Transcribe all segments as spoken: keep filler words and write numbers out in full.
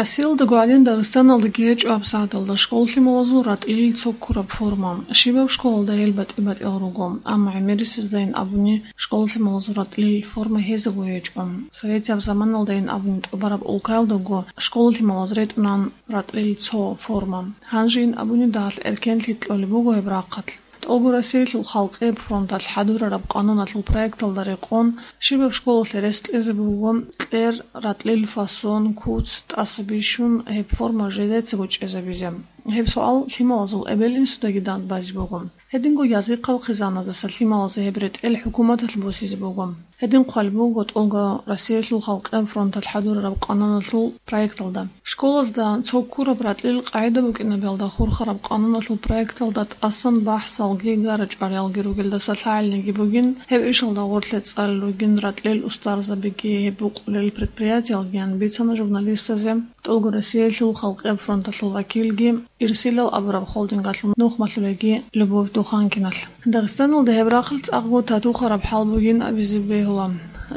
Россиялда гӀадин Дагъистаналдаги гьечӀо гьабсагӀаталда школ лъималазул ратӀлил цо ккураб форма. Щибаб школалда гьел батӀи-батӀиял руго, амма гӀемерисездайин абуни школ лъималазул ратӀлил форма гьезаго гьечӀо. Советияб заманалдайин абуни тӀубараб улкаялдаго школ лъималаз ретӀунан ратӀлил цо форма. Гьанжейин абуни дагьалъ эркенлъи кьолеб буго гьеб рахъалъ. ТӀолго Россиялъул халкъияб фронталъ хӀадурараб къануналъул проекталда рекъон, щибаб школалъе рес кьезе буго кьер, ратӀлил фасон, куц, тӀаса бищун гьеб форма жидецаго чӀезабизе. Гьеб суал лъималазул эбел-инсудаги дандбазе буго. Гьединго язихъал хъизаназдаса лъималазе гьеб ретӀел хӀукуматалъ босизе буго. Гьедин хъван буго ТӀолго Россиялъул халкъияб фронталъ хӀадурараб къануналъул проекталда. Школазда цо ккураб ратӀлил къагӀида букӀинабиялда хурхараб къануналъул проекталда тӀасан бахӀсалги гара-чӀвариялги ругелдаса лъагӀалниги бугин, гьеб ишалда гъорлъе цӀалел ругин ратӀлил устарзабиги гьеб букъулел предприятиялгиян бицана журналистазе ТӀолго Россиялъул халкъияб фронталъул вакилги, Ирсилал абураб холдингалъул нухмалъулеги Любовь Духанкиналъ. Дагъистаналда гьеб рахъалъ цӀакъго татухараб хӀал бугин абизе бегьула.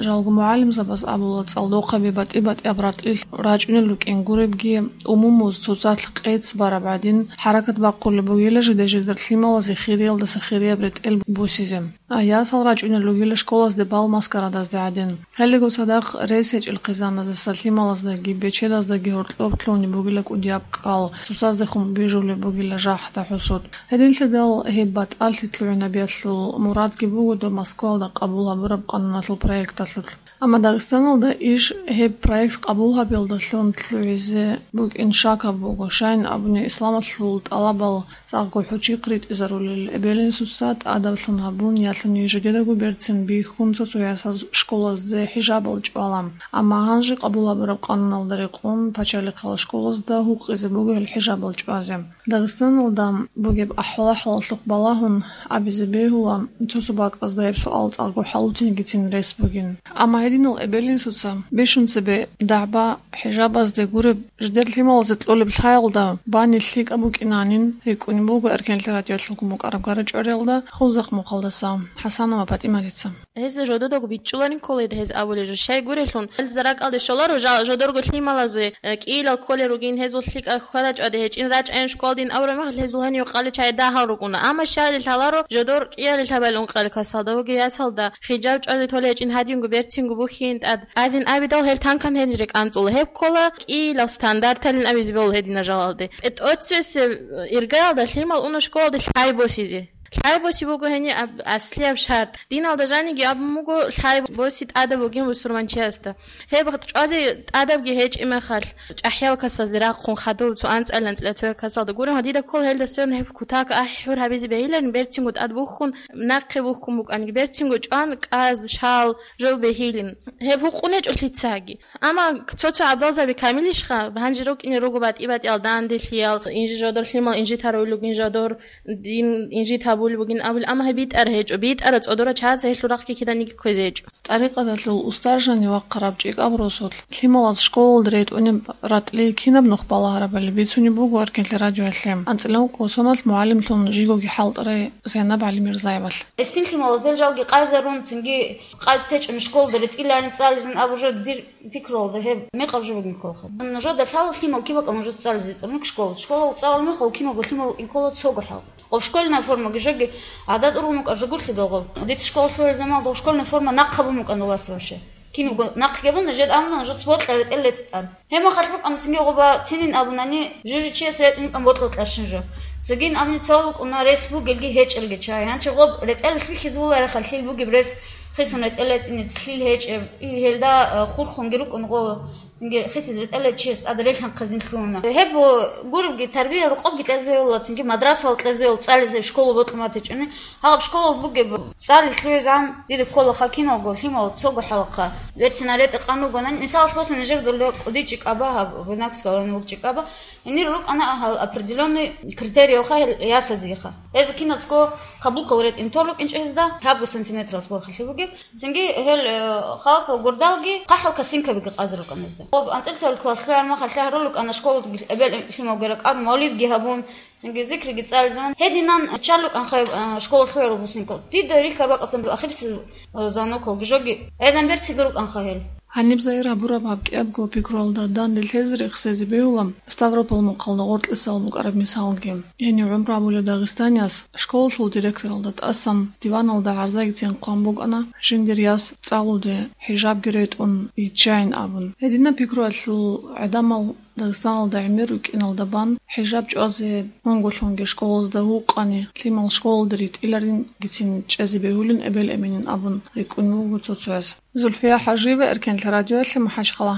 Жалго мугӀалимзабаз абула, цӀалдохъаби батӀи-батӀияб ратӀлил рачӀунел рукӀин гуребги, умумуз цоцалъ къец бараб гӀадин, хӀаракат бахъулеб бугила жиде-жидер лъималазе хириялдаса хирияб ретӀел босизе. А ясал рачӀунел ругила школазде бал-маскарадазде гӀадин. Гьелдаго цадахъ рес гьечӀел хъизаназдаса лъималаздаги бечедаздаги гьоркьоб лъугьунеб бугила кӀудияб кӀал, цоцаздехун бижулеб бугила жахӀда-хӀусуд. Гьединлъидал гьеб батӀалъи лъугӀинабиялъул мурадги буго доб Москваялда къабул гьабураб къануналъул проекталъулъ. Амма Дагъистаналда иш гьеб проект къабул гьабиялдалъун лъугӀизе букӀин шакаб буго, щайин абуни исламалъул тӀалабал цӀакъго хӀучихъ ритӀизарулел. Эбел-инсуца тӀадаб лъун гьабун, ялъуни жидедаго берцин бихьун цо-цо ясаз школазде хӀижабал чӀвала. Амма гьанже къабул гьабураб къануналда рекъон пачалихъал школазда гьукъизе буго гьел хӀижабал чӀвазе. Дагъистаналда бугеб ахӀвал-хӀалалъухъ балагьун абизе бегьула, цо-цо бакӀазда гьеб суал цӀакъго хӀалуцинегицин рес бугин. Амма гьединал эбел-инсуца бищун цебе дагӀба хӀижабазде гуреб, жидер лъималазе кьолеб лъаялда бани лъикӀаб букӀинанин рикӀкӀунеб буго Эркенлъи радиоялъулгун букӀараб гара-чӀвариялда Хунзахъ мухъалдаса ХӀасанова ПатӀиматица. Гьез жододаго бичӀчӀуларин кколей гьез абулей жо. Щай гурелъул, гьел заракалде щоларо жа-, жодорго лъималазе, э, кӀиилал кколел ругин, гьезул лъикӀаб хьвада-чӀвади гьечӀин, рачӀайин школдин абураб мехалъ гьезул гьенив къаличайда гьал рукӀуна. Амма щайли лъаларо жодор кӀиялил гьабал ункъали касалда вуги ясалда хижаб чӀвазе толей гьечӀин, гьадинго берцинго бухьин тӀад. Азин абидал гьел танкан гьенир рекӀанцӀула. Гьеб ккола кӀиилал стандарталин абизе бегьула гьедина жалалде. ПетӀоццевесеб иргаялда лъимал уна школалде лъай босизе. Лъай боси буго гьениб аб-, аслияб шартӀ. Диналда жаниги абун буго, лъай боси тӀадаб бугин бусурманчиясда. Гьеб чӀвазе тӀадабги гьечӀеб мехалъ, чӀахӀиял касазде рахъун хадуб цо анцӀила-анцӀила цоял касалда гурин, гьадида ккола гьелда сверун гьеб кутак ахӀи-хӀур гьабизе бегьиларин, берцинго тӀад бухьун, нахъе бухьун букӀаниги, берцинго чӀван кӀаз, шал, жо бегьилин. Гьеб гьукъун гьечӀо лъицаги. Амма цо-цо гӀабдалзаби камилищха, гьанже рукӀине руго батӀи-батӀиял данделъиял, инжи жодор лъимал инжитарулел ругин жодор, дин инжит гьабулеб бугин абулел, амма гьеб битӀараб гьечӀо, битӀараб цӀодора чагӀаца гьелъул рахъги киданиги кквезе гьечӀо. ТӀарикъаталъул устаржани вахъараб ЧӀикӀаб росулъ лъималаз школалда ретӀунеб ратӀлил кинаб нух балагьарабали бицунеб буго Эркенлъи радиоялъе. АнцӀила ункъо соналъ мугӀалимлъун жигоги хӀалтӀарай Зайнаб ГӀалимирзаевалъ. Гьесин лъималаз гьел жалги къайзарун, цинги къайз течӀун школалда ретӀиларин цӀализин абу жо дир пикруялда гьеб мекъаб жо бугин кколха. Нужеда лъала лъимал киб бакӀал нужеца цӀализе тӀурнук школа. Школа цӀалал мехалъ киналго лъимал инкола цого хӀал. Гъоб школьная формаги жоги гӀадат ургъун букӀа жо гурлъидал гъоб. Дица школа лъугӀел заман гъоб школьная форма нахъ гьабун букӀана у вас вообще. Киналго нахъ гьабун, жед амна, жед цо бокьа ретӀел ретӀан. Гьеб мехалъ букӀана цинги гъоба цинин абунани, жужи чияс ретӀун букӀан бокьа-бокьарщин жо. Цогин абуни цо лукӀуна рес бугелги гьечӀелги чай. Гьанчи гъоб ретӀел лъихьизе вулареха лъил бугеб рес хисун ретӀел ретӀине лъил гьечӀеб, и гьелда, а, хурхунги рукӀун гъо. Цинги хисиз ретӀел чияс тӀад релъанхъизин лъугьуна. Гьеб гуребги тарбия рукъобги кьезбе вула, цинги мадрасавал кьезбе вула цӀализе школа бокьун батичӀони. Гьаб школал бугеб цӀали лъугӀизегӀан дида ккола хакиналго лъимал цого хӀалахъа. Верцина ретӀа къан ругонани, мисалалъ босани, жер дола кӀудичӀи кӀаба гьаб, Буйнакского района вукӀчӀи кӀаба, гьенир рукӀана гьал определённый критериялха гьел ясазеха. Гьезда киназго каблукал ретӀин тор рукӀинчӀо гьезда, гьабго сантиметралъ борхалъи бугеб. Цинги гьел, э, халатал гурдалги хъахӀал косынкабиги къазе рукӀана гьезда. Гъоб анцӀила цалил класс лъугӀараб мехалъ лъагьрул рукӀана школа гьеб лъималги ракӀарун, мавлидги гьабун, цинги зикриги цӀализабун. Гьединан чан рукӀанха гьеб, э, школа лъугӀарал бусинкал. Дида рихьараб бакӀалдасан ахирисел, э, звонокалги жоги гӀезан берциги рукӀанха гьел. Гьаниб Заира гьабураб гьаб кӀиябго пикруялда данде лъезе рехсезе бегьула Ставрополь мухъалда гъоркьисал букӀараб мисалги. Гьенив гӀумру гьабулев дагъистанияс школалъул директоралда тӀасан диваналда гӀарзагицин хъван букӀана, жиндир яс цӀалуде, хӀижабги ретӀун йиччайин абун. Гьединаб пикруялъул гӀадамал Дагъистаналда гӀемер рукӀиналда бан хӀижаб чӀвазе унголъунги школазда гьукъани, лъимал школалде ритӀиларингицин чӀезе бегьулин эбел-эменин абун рикӀкӀун вуго цо-цояс. Зульфия ХӀажиева, Эркенлъ радиоялъе, МахӀачхъала.